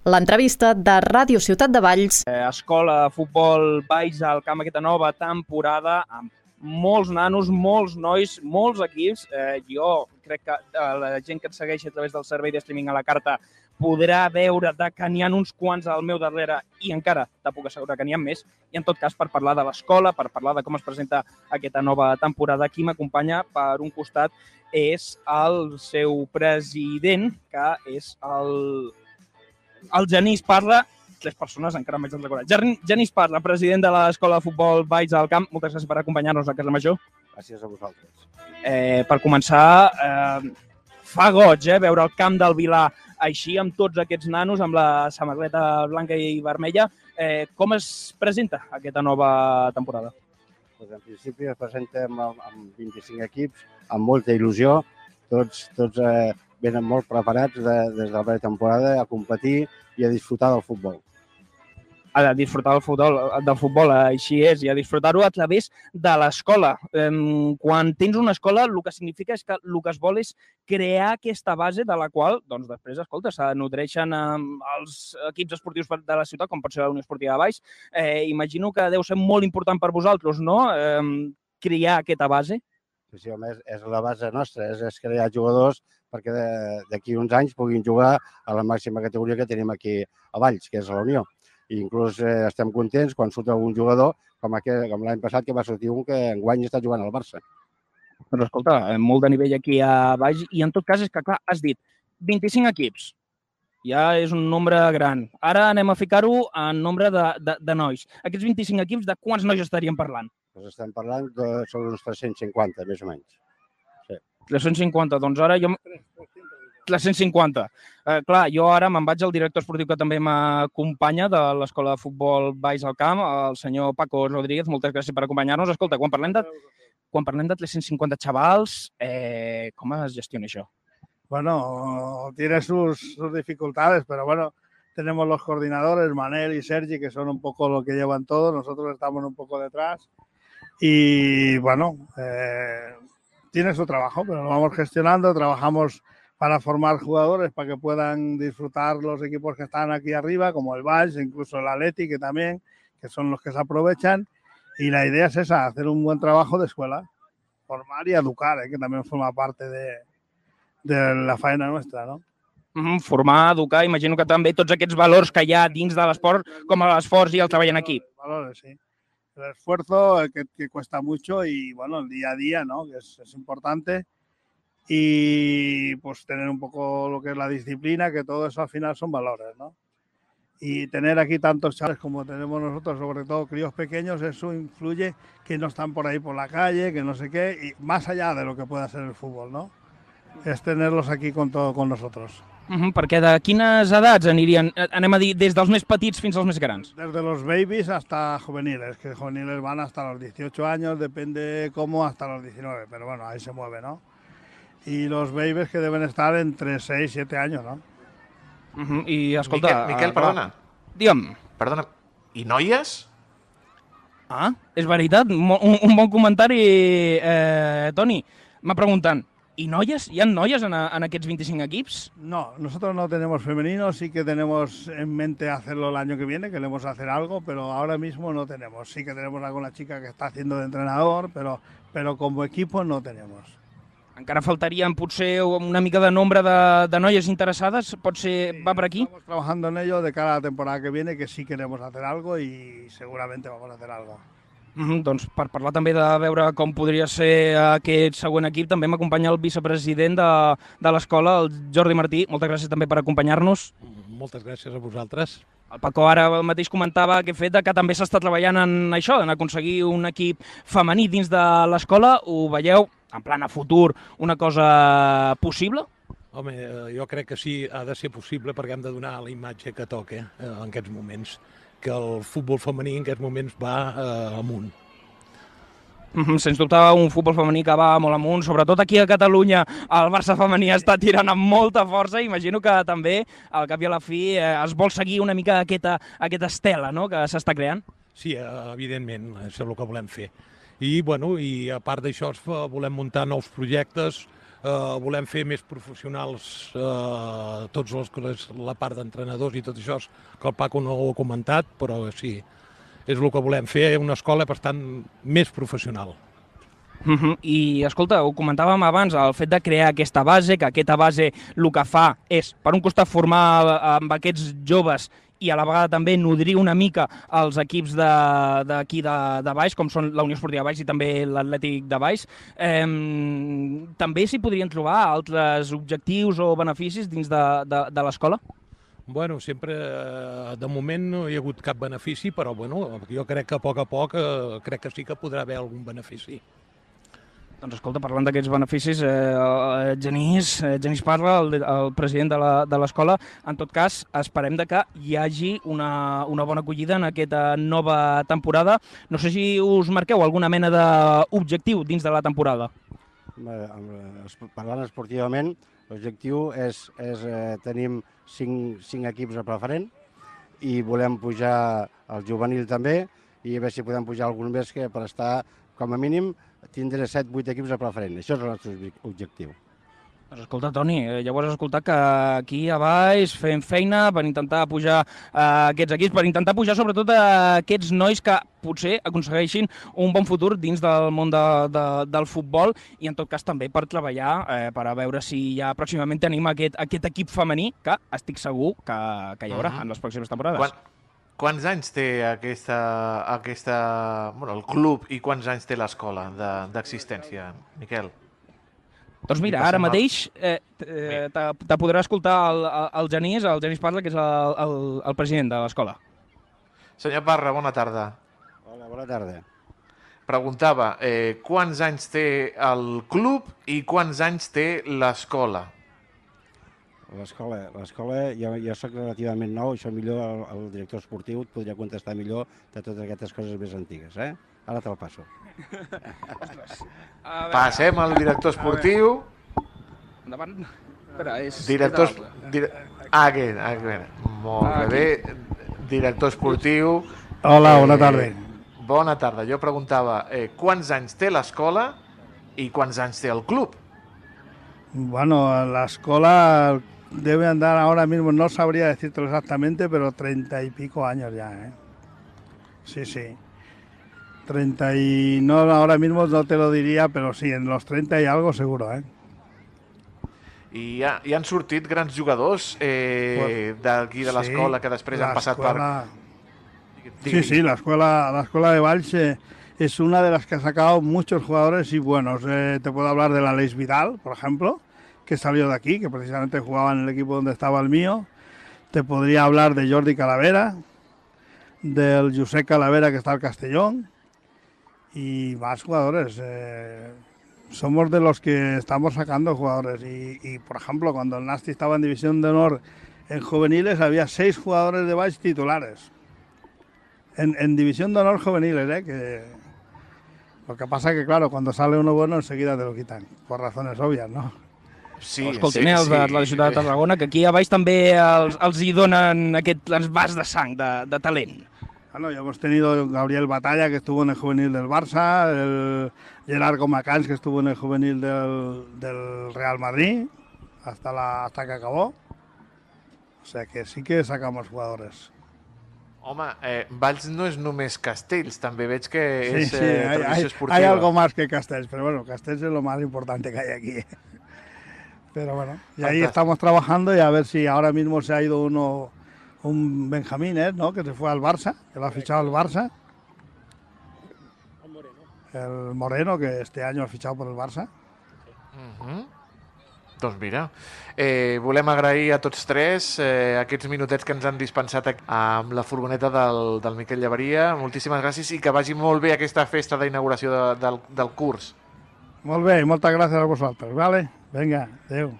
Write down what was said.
L'entrevista de Ràdio Ciutat de Valls. Escola, futbol, Valls al camp aquesta nova temporada, amb molts nanos, molts nois, molts equips. Jo crec que la gent que et segueix a través del servei de streaming a la carta podrà veure que n'hi ha uns quants al meu darrere i encara te puc assegurar que n'hi ha més. I en tot cas, per parlar de l'escola, per parlar de com es presenta aquesta nova temporada, qui m'acompanya per un costat és el seu president, que és el Genís Parra. Tres persones, encara m'haig de recordar. Genís Parra, president de l'Escola de Futbol Valls al Camp. Moltes gràcies per acompanyar-nos a Casa Major. Gràcies a vosaltres. Per començar, fa goig veure el camp del Vilar així, amb tots aquests nanos, amb la samarreta blanca i vermella. Com es presenta aquesta nova temporada? En principi es presentem amb 25 equips, amb molta il·lusió. Tots venen molt preparats des de la pretemporada a competir i a disfrutar del futbol. A disfrutar del futbol, així és, i a disfrutar-ho a través de l'escola. Quan tens una escola, el que significa és que el que es vol és crear aquesta base de la qual, doncs després, escolta, se nodreixen els equips esportius de la ciutat, com pot ser la Unió Esportiva de Valls. Imagino que deu ser molt important per vosaltres, no?, crear aquesta base. Sí, home, és la base nostra, és crear jugadors perquè d'aquí uns anys puguin jugar a la màxima categoria que tenim aquí a Valls, que és la Unió. I inclús estem contents quan surt algun jugador, com l'any passat, que va sortir un que enguany està jugant al Barça. Doncs escolta, molt de nivell aquí a Valls, i en tot cas és que, clar, has dit 25 equips, ja és un nombre gran. Ara anem a ficar-ho en nombre de nois. Aquests 25 equips, de quants nois estaríem parlant? Doncs estem parlant sobre uns 350, més o menys. Sí. 350, doncs ara jo... 350. Clar, jo ara me'n vaig al director esportiu que també m'acompanya de l'Escola de Futbol Valls al Camp, el senyor Paco Rodríguez. Moltes gràcies per acompanyar-nos. Escolta, quan parlem de 350 xavals, com es gestiona això? Bueno, tiene sus dificultades, pero bueno, tenemos los coordinadores, Manel y Sergi, que son un poco lo que llevan todo. Nosotros estamos un poco detrás. Y bueno, tiene su trabajo, pero lo vamos gestionando. Trabajamos para formar jugadores para que puedan disfrutar los equipos que están aquí arriba, como el Valls, incluso el Atleti, que también, que son los que se aprovechan. Y la idea es esa, hacer un buen trabajo de escuela, formar y educar, que también forma parte de la faena nuestra, ¿no? Formar, educar, imagino que també tots aquests valors que hi ha dins de l'esport, com l'esforç i el treball en equip. Valores, sí. El esfuerzo que cuesta mucho y bueno, el día a día, ¿no?, que es importante. Y pues tener un poco lo que es la disciplina, que todo eso al final son valores, ¿no? Y tener aquí tantos chavales como tenemos nosotros, sobre todo críos pequeños, eso influye que no están por ahí por la calle, que no sé qué, y más allá de lo que pueda ser el fútbol, ¿no? Es tenerlos aquí con nosotros. Perquè de quines edats anirien, anem a dir, des dels més petits fins als més grans? Desde los babies hasta juveniles, que juveniles van hasta los 18 años, depende cómo, hasta los 19, pero bueno, ahí se mueve, ¿no? Y los babies que deben estar entre 6 y 7 años, ¿no? I escolta... Miquel, perdona. Digue'm. Perdona. I noies? Ah, és veritat. Un bon comentari, Toni. M'ha preguntant, ¿y noies? ¿Hi ha noies en aquests 25 equips? No, nosotros no tenemos femeninos, sí que tenemos en mente hacerlo el año que viene, queremos hacer algo, pero ahora mismo no tenemos. Sí que tenemos alguna chica que está haciendo de entrenador, pero como equipo no tenemos. Encara faltarien potser una mica de nombre de noies interessades, potser va per aquí? Estamos trabajando en ello de cara a la temporada que viene, que sí queremos hacer algo y seguramente vamos a hacer algo. Doncs per parlar també de veure com podria ser aquest següent equip, també m'acompanya el vicepresident de l'escola, el Jordi Martí. Moltes gràcies també per acompanyar-nos. Moltes gràcies a vosaltres. El Paco ara mateix comentava que fet que també s'està treballant en això, en aconseguir un equip femení dins de l'escola. Ho veieu, en plan a futur, una cosa possible? Home, jo crec que sí, ha de ser possible perquè hem de donar la imatge que toca en aquests moments, que el futbol femení en aquests moments va amunt. Sens dubte, un futbol femení que va molt amunt, sobretot aquí a Catalunya el Barça femení està tirant amb molta força. Imagino que també, al cap i a la fi, es vol seguir una mica aquesta estela, no?, que s'està creant. Sí, evidentment, això és el que volem fer. I a part d'això volem muntar nous projectes volem fer més professionals tots la part d'entrenadors i tot això, que el Paco no ho ha comentat, però sí, és el que volem fer, una escola bastant més professional. I, escolta, ho comentàvem abans, el fet de crear aquesta base, que aquesta base el que fa és, per un costat, formar amb aquests joves i a la vegada també nodrir una mica els equips d'aquí de baix, com són la Unió Esportiva Baix i també l'Atlètic de Baix. També s'hi podrien trobar altres objectius o beneficis dins de l'escola? Bueno, sempre, de moment no hi ha hagut cap benefici, però bueno, jo crec que a poc crec que sí que podrà haver algun benefici. Doncs escolta, parlant d'aquests beneficis, Genís Parra, el president de l'escola, en tot cas, esperem que hi hagi una bona acollida en aquesta nova temporada. No sé si us marqueu alguna mena d'objectiu dins de la temporada. Parlant esportivament, l'objectiu és tenim 5 equips a preferent i volem pujar al juvenil també i a veure si podem pujar algun més que per estar, com a mínim, tindre 7-8 equips a preferent. Això és el nostre objectiu. Doncs escolta, Toni, llavors has escoltat que aquí a baix fem feina per intentar pujar aquests equips, per intentar pujar sobretot aquests nois que potser aconsegueixin un bon futur dins del món del futbol i en tot cas també per treballar per a veure si ja pròximament tenim aquest equip femení que estic segur que hi haurà en les pròximes temporades. Quants anys té el club i quants anys té l'escola d'existència, Miquel? Doncs mira, ara mateix te podrà escoltar el Genís Parra, que és el president de l'escola. Senyor Parra, bona tarda. Hola, bona tarda. Preguntava, quants anys té el club i quants anys té l'escola? L'escola, jo soc relativament nou, això millor el director esportiu et podria contestar millor de totes aquestes coses més antigues, eh? Ara te'l passo. Passem al director esportiu. Endavant. Espera, és... Molt bé. Director esportiu. Hola, bona tarda. Bona tarda. Jo preguntava quants anys té l'escola i quants anys té el club? Bueno, la escuela debe andar ahora mismo, no sabría decírtelo exactamente, pero 30 y pico años ya, ¿eh? Sí, sí. 30 y... no, ahora mismo no te lo diría, pero sí, en los 30 y algo seguro, ¿eh? I hi han sortit grans jugadors d'aquí de l'escola que després han passat per... Sí, la escuela de Valls es una de las que ha sacado muchos jugadores y buenos. Te puedo hablar de la Leis Vidal, por ejemplo, que salió de aquí, que precisamente jugaba en el equipo donde estaba el mío. Te podría hablar de Jordi Calavera, del Josep Calavera, que está al Castellón, y más jugadores. Somos de los que estamos sacando jugadores. Y, por ejemplo, cuando el Nasti estaba en División de Honor en juveniles, había 6 jugadores de Valls titulares. En División de Honor juveniles, que lo que pasa es que, claro, cuando sale uno bueno, enseguida te lo quitan, por razones obvias, ¿no? Sí, escoltin, els de la ciutat de Tarragona, que aquí a baix també els hi donen aquest vas de sang, de talent. Bueno, ya hemos tenido Gabriel Batalla, que estuvo en el juvenil del Barça, el Gerard Comacans, que estuvo en el juvenil del Real Madrid, hasta que acabó. O sea que sí que sacamos jugadores. Home, Valls no és només Castells, també veig que és tradició esportiva. Hay algo más que Castells, pero bueno, Castells es lo más importante que hay aquí. Pero bueno, y ahí estamos trabajando y a ver si ahora mismo se ha ido un Benjamín, ¿no? Que se fue al Barça, que lo ha fichado el Barça. El Moreno, que este año ha fichado por el Barça. Doncs mira, volem agrair a tots tres aquests minutets que ens han dispensat amb la furgoneta del Miquel Llaveria. Moltíssimes gràcies i que vagi molt bé aquesta festa d'inauguració del curs. Molt bé, moltes gràcies a vosaltres, vale? Vinga, adéu.